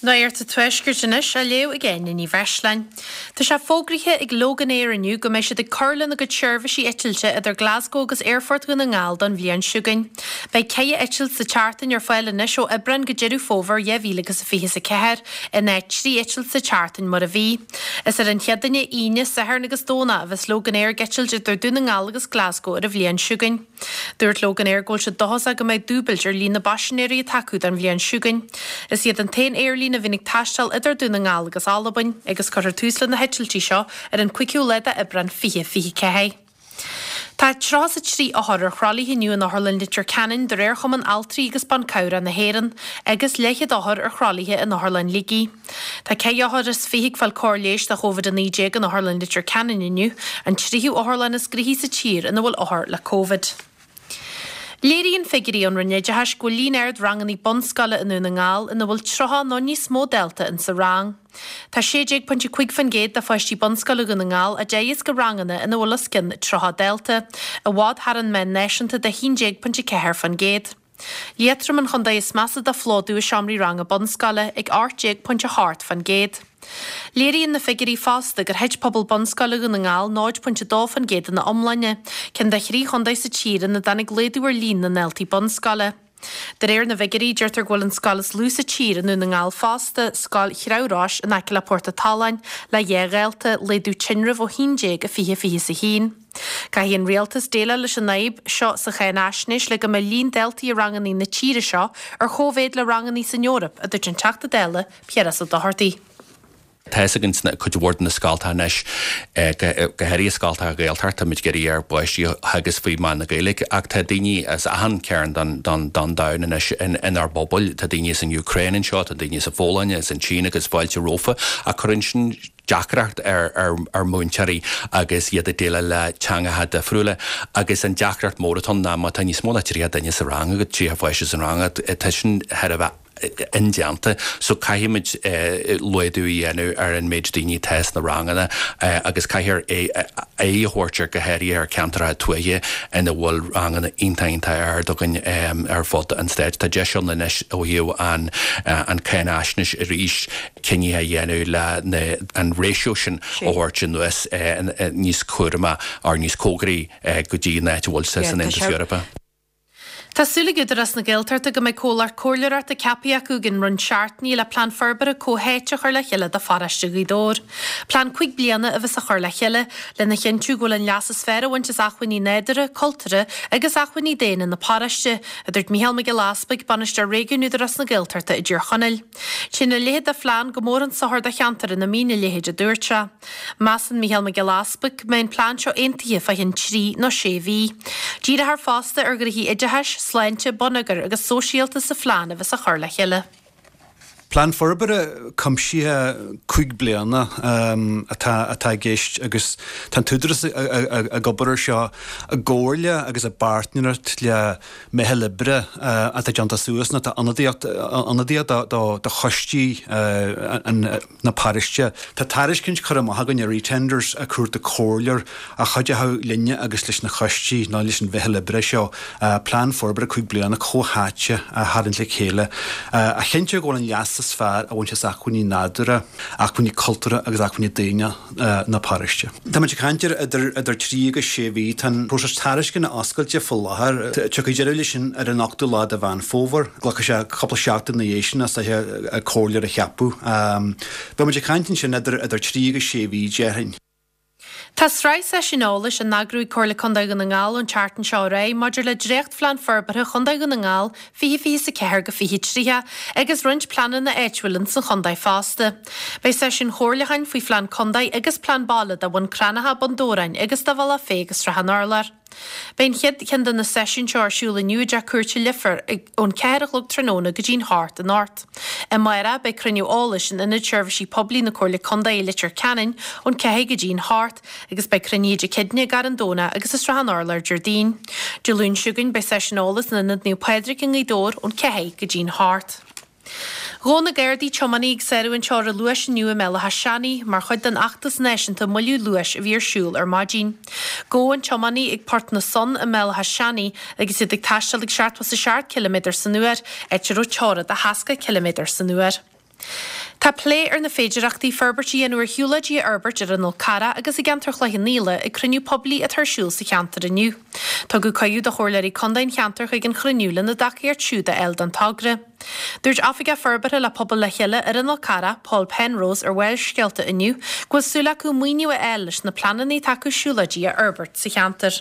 Nuacht an Tuaiscirt anois á léamh ag Áine Ní Bhreisleáin. Tá sé fógraithe ag Loganair inniu go mbeidh siad ag cur lena gcuid seirbhísí eitilte idir Glasgow agus Aerfort Dhún na nGall don bhliain seo chugainn. Beidh 4 eitilt sa tseachtain ar fáil anois ó Aibreán go Deireadh Fómhair 2024, in áit 3 eitilt sa tseachtain mar a bhí. Is ar an Chéadaoine, Aoine, Satharn agus Domhnach a bheas Loganair ag eitilt idir Dún na nGall agus Glasgow ar an bhliain seo chugainn. Dúirt Loganair go bhfuil siad dóchasach go mbeidh dúbailt ar líon na bpaisinéirí atá acu don bhliain seo chugainn. Is iad an t-aon aerlíne a bhíonn ag taisteal idir Dún na nGall agus Albain, agus cuirfear tús le na heitiltí seo ar an 5ú lá d'Aibreán 2024. Tá 33 othar ar thralaithe inniu in Otharlann Leitir Ceanainn de réir Chumann Altraí agus Ban Cabhrach na hÉireann, agus leathchéad othar ar thralaithe in Otharlann Shligigh. Tá 24 othar ag fáil cóir leighis do Chóvid-19 in Otharlann Leitir Ceanainn inniu, an tríú otharlann is gnoithí sa tír ina bhfuil othair le Covid. Léiríonn figiúirí ón Roinn Oideachais go bhfuil líon ard ranganna bunscoile i nDún na nGall ina bhfuil 30 nó níos mó dalta in sa rang. Tá 16.5% de pháistí bunscoile Dhún na nGall á dteagasc i ranganna ina bhfuil os cionn 30 dalta, i bhfad thar an meán náisiúnta de 11.4%. Liatroim an chontae is measa do phlódú i seomraí ranga bunscoile, ag 18.8%. Léiríonn na figiúirí fosta gur thit pobal bunscoile Dhún na nGall 0.2% ina iomláine, ceann de thrí chontae sa tír ina dtáinig laghdú ar líon na ndaltaí bunscoile. De réir na bhfigiúirí, deirtear go bhfuil an scoil is lú sa tír i nDún na nGall fosta, Scoil Shreabh Rois in aice le Port a' tSuláin, le 2 dhalta, laghdú tinrimh ó 11 i 2021. Caithfidh an Rialtas déileáil leis an fhadhb seo sa cháinaisnéis le go mbeidh líon daltaí i ranganna na tíre seo ar chóimhéid le ranganna san Eoraip, a dúirt an Teachta Dála Piaras Ó Dochartaigh. Tá fhios againn sna cuid mhór de na scoltacha anois, go háirithe scoltacha Gaeltachta, táimid ag iarraidh ár bpáistí a theagasc faoi mheán na Gaeilge ach tá daoine as achan cearn den domhan anois inár bpobail. Tá daoine as an Úcráin anseo, tá daoine as an Pholainn, as an tSín agus fáilte rompu ach cuireann sin deacracht ar mhúinteoirí agus iad ag déileáil le teangacha difriúla agus an deacracht mór atá ann ná má tá níos mó ná 30 duine sa rang agat, 30 pháiste sa rang agat, tá sin thar a bheith indéanta. So caithfimid laghdú a dhéanamh ar an méid daoine atá sna ranganna agus caithfear aghaidh a thabhairt ar go háirithe ar ceantracha tuaithe ina bhfuil ranganna iontach iontach ard againn ar fud an stáit. Tá deis ann anois ó thaobh an an cáinaisnéis arís cinntí a dhéanamh le an ratio sin a thabhairt anuas níos cúramaí or níos cóngaraí go dtí an áit a bhfuil sé san Aontas Eorpach. Tá súil ag Údarás na Gaeltachta go mbeidh comhlacht comhairleoireachta ceaptha acu i gcionn roinnt seachtainí le plean forbartha comhtháite a chur le chéile do pharóiste Ghaoth Dobhair. Plean 5 bliana a bheas á chur le chéile lena chinntiú go bhfuil an leas is fearr á bhaint as acmhainní nádúrtha, cultúrtha agus acmhainní daonna na paróiste, a dúirt Mícheál Mac Giolla Easpaig, Bainisteoir Réigiúin Údarás na Gaeltachta i dTír Chonaill. Téann a leithéid de phlean go mór chun sochair do cheantar ina mbíonn a leithéid, a dúirt sé. Measann Mícheál Mac Giolla Easpaig go mbeidh an plean seo aontaithe fá chionn trí nó sé mhí. Díreofar fosta ar ghnoithí oideachais, sláinte, bonneagair agus sóisialta sa phlean a bheas á chur le chéile. Plean forbartha cuimsithe 5 bliana atá atá i gceist agus tá an tÚdarás ag obair air seo i gcomhairle agus i bpáirtnéireacht le meitheal oibre atá déanta suas nó atá ionadaíocht ionadaíoch do choistí na paróiste. Tá tairiscint curtha amach againn ar eTenders ag cuartú comhairleoir a chuideoidh linne agus leis na coistí nó leis an mheitheal oibre seo plean forbartha 5 bliana comhtháite a tharraingt le chéile a chinnteoidh go bhfuil an leas is fearr á bhaint as acmhainní nádúrtha, acmhainní cultúrtha agus acmhainní daonna. na paróiste. Táimid ag caint ar idir trí agus sé mhí. Tá an próiseas tairisceana oscailte faoi láthair. Tiocfaidh deireadh leis sin ar an ochtú lá de Mheán Fómhair. Glacfaidh sé cúpla seachtain ina dhiaidh sin is dóiche comhairleoir a cheapadh. Beimid ag caint ansin idir trí agus sé mhí, déarfainn. Tá sraith seisiún eolais á n-eagrú ag Comhairle Contae Dhún na nGall ón tseachtain seo ar aghaidh maidir le dréachtphlean forbartha Chontae Dhún na nGall 2024-2030 agus roinnt pleananna áitiúil ins an chontae fosta. Beidh seisiúin chomhairliúcháin faoi phlean contae agus plean baile do Bhun Cranncha, Bun Dobhráin agus do Bhealach Féich agus Srath an Urláir. Beidh an chéad cheann de na seisiúin seo ar siúl inniu i dTeach Cúirte Leifear ón 4 a chlog tráthnóna go dtí'n hocht anocht. Amárach beidh cruinniú eolais in Ionad Seirbhísí Poiblí na Comhairle Contae i Leitir Ceanainn ón 4 go dtí'n hocht. agus beidh cruinnithe Dé Céadaoine i gCarn Domhnach agus i Srath an Urláir Déardaoin. Dé Luain seo chugainn beidh seisiún eolais in Ionad Naomh Pádraig i nGaoth Dobhair ón 4 go dtí'n hocht. Ghabh na Gardaí tiománaí ag sárú an teora luais inniu i mBéal Átha Seanaidh mar chuid den fheachtas náisiúnta moilliú luais a bhí ar siúl ar maidin. Gabhadh an tiománaí ag Port na Sonn i mBéal Átha Seanaidh agus iad ag taisteal ag 77 ciliméadar san uair, áit a raibh teora de 60 ciliméadar san uair. Tá plé ar na féidearthachtaí forbairt a dhéanamh ar shiúlóidí a fhorbairt ar an Fhol Carrach agus i gceantar Chloich Cheann Fhaola ag cruinniú poiblí atá ar siúl sa cheantar inniu. Tugadh cuireadh do chomhairleoirí contae an cheantair chuig an chruinniú lena dtacaíocht siúd a fháil don togra. Dúirt Oifigeach Forbartha le Pobal le Chéile ar an Fhol Carrach, Paul Penrose, ar Bharrscéalta inniu go bhfuil súil acu maoiniú a fháil leis na pleananna atá acu siúlóidí a fhorbairt sa cheantar.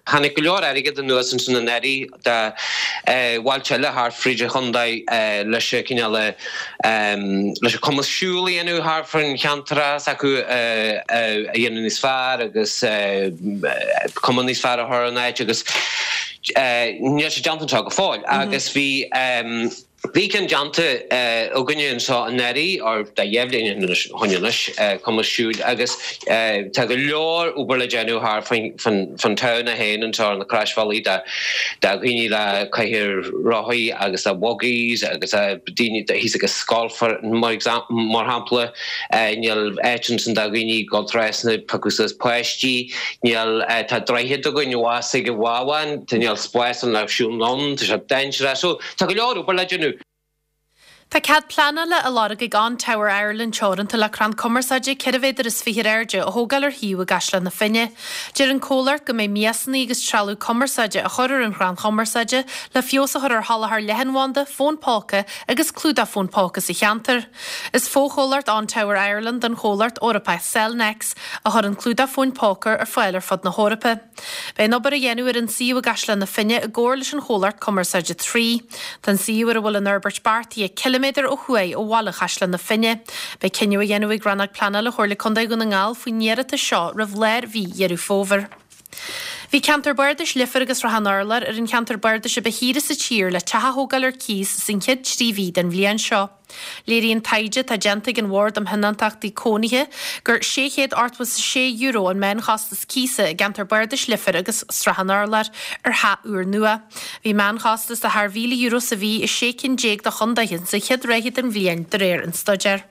Tháinig go leor airgead anuas ansin anuraidh do bhailte eile thart fríd an chontae leis an cineál leis an cumas siúl a dhéanamh thart fán cheantar s'acu a dhéanamh níos fearr agus cuma níos fearr a chur ar an áit agus níl sé déanta anseo go fóill agus bhí Bhí ceann déanta againne anseo anuraidh, or dá dheich bhliain ó shoin anois, cumas siúil, agus tá go leor obair le déanamh thart fán town é féin anseo ar na croisbhealaí do dhaoine le cathaoir rothaí agus le buggies agus daoine thíos ag an scoil mar shampla. Níl áit ansin do dhaoine dul trasna ag piocadh suas páistí. Níl, tá droichead againn abhus ag an bhábhán, níl spás ann le siúl anonn, tá sé dainséarach. So, Tá go leor obair le déanamh. Tá cead pleanála á lorg ag On Tower Ireland Teoranta le crann cumarsáide 4 mhéadar is 20 ar airde a thógáil ar shuíomh i gCaisleán na Finne. Deir an comhlacht go mbeidh miasanna agus trealamh cumarsáide á chur ar an chrann chumarsáide le feabhas a chur ar sholáthar leathanbhanda, fón póca agus clúdach fón póca sa cheantar. Is fochomhlacht On Tower Ireland den chomhlacht Eorpach Cellnex a chuireann clúdach fóin póca ar fáil ar fud na hEorpa. Beidh an obair á dhéanamh ar an suíomh i gCaisleán na Finne i gcomhar leis an chomhlacht cumarsáide Three. Tá an suíomh ar a bhfuil an fhorbairt beartaithe ciliméadar ó thuaidh ó bhaile Chaisleán na Finne. Beidh cinneadh á dhéanamh ag Rannóg Pleanála Chomhairle Contae Dhún na nGall faoin iarratas seo roimh lár mhí Dheireadh Fómhair. Bhí ceantar bardais Leifear agus Srath an Urláir ar an cheantar bardais a ba shaoire sa tír le teach a thógáil ar cíos san chéad 3 mhí den bhliain seo. Léiríonn taighde atá déanta ag an Bhord um Thionóntachtaí Cónaithe gur €686 an meánchostas cíosa i gceantar bardais Leifear agus Srath an Urláir ar theach úrnua. Bhí meánchostas de thar €1,000 sa mhí i 16 cinn de chontaetha sa chéad ráithe den bhliain, de réir an staidéir.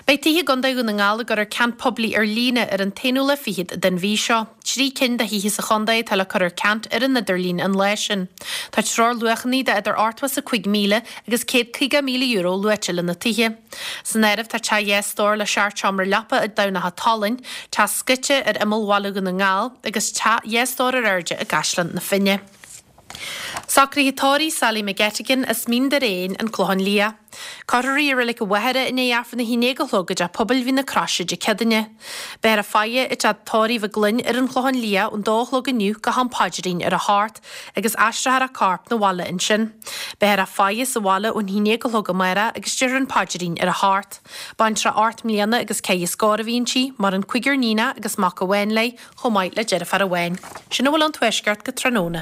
Beidh tithe i gContae Dhún na nGall ag cur ar ceant poiblí ar líne ar an t-aonú lá fichead den mhí seo. 3 cinn de thithe sa chontae atá le cur ar ceant ar an idirlíon an lá sin. Tá treoirluachanna de idir €85,000 agus €150,000 luaite le na tithe. San áireamh tá teach 2 stór le seacht seomra leapa i dTamhnach an tSalainn, teach scoite ar imeall bhaile Dhún na nGall agus teach 2 stór ar airde i gCaisleán na Finne. Socruithe tórraimh Sally McGettigan as Mín Doireáin, An Clochán Liath. Cuirfear í i Reilig an Mhachaire i ndiaidh Aifreann a 11 a chlog i dTeach Pobail Mhín na Croise Dé Céadaoine. Beifear ag faire i dTeach Tórraimh Mhic Gloinn ar an Chlochán Liath ón dó a chlog inniu go ham paidrín ar a hocht agus aistreofar a corp 'na bhaile ansin. Beifear ag faire sa bhaile ón 11 a chlog amárach agus déarfar an paidrín ar a hocht. Baintreach 8 mbliana agus ceithre scór a bhí inti, maireann cúigear níonach agus mac amháin léi, chomh maith le deirfiúr amháin. Sin a bhfuil ón Tuaisceart go tráthnóna.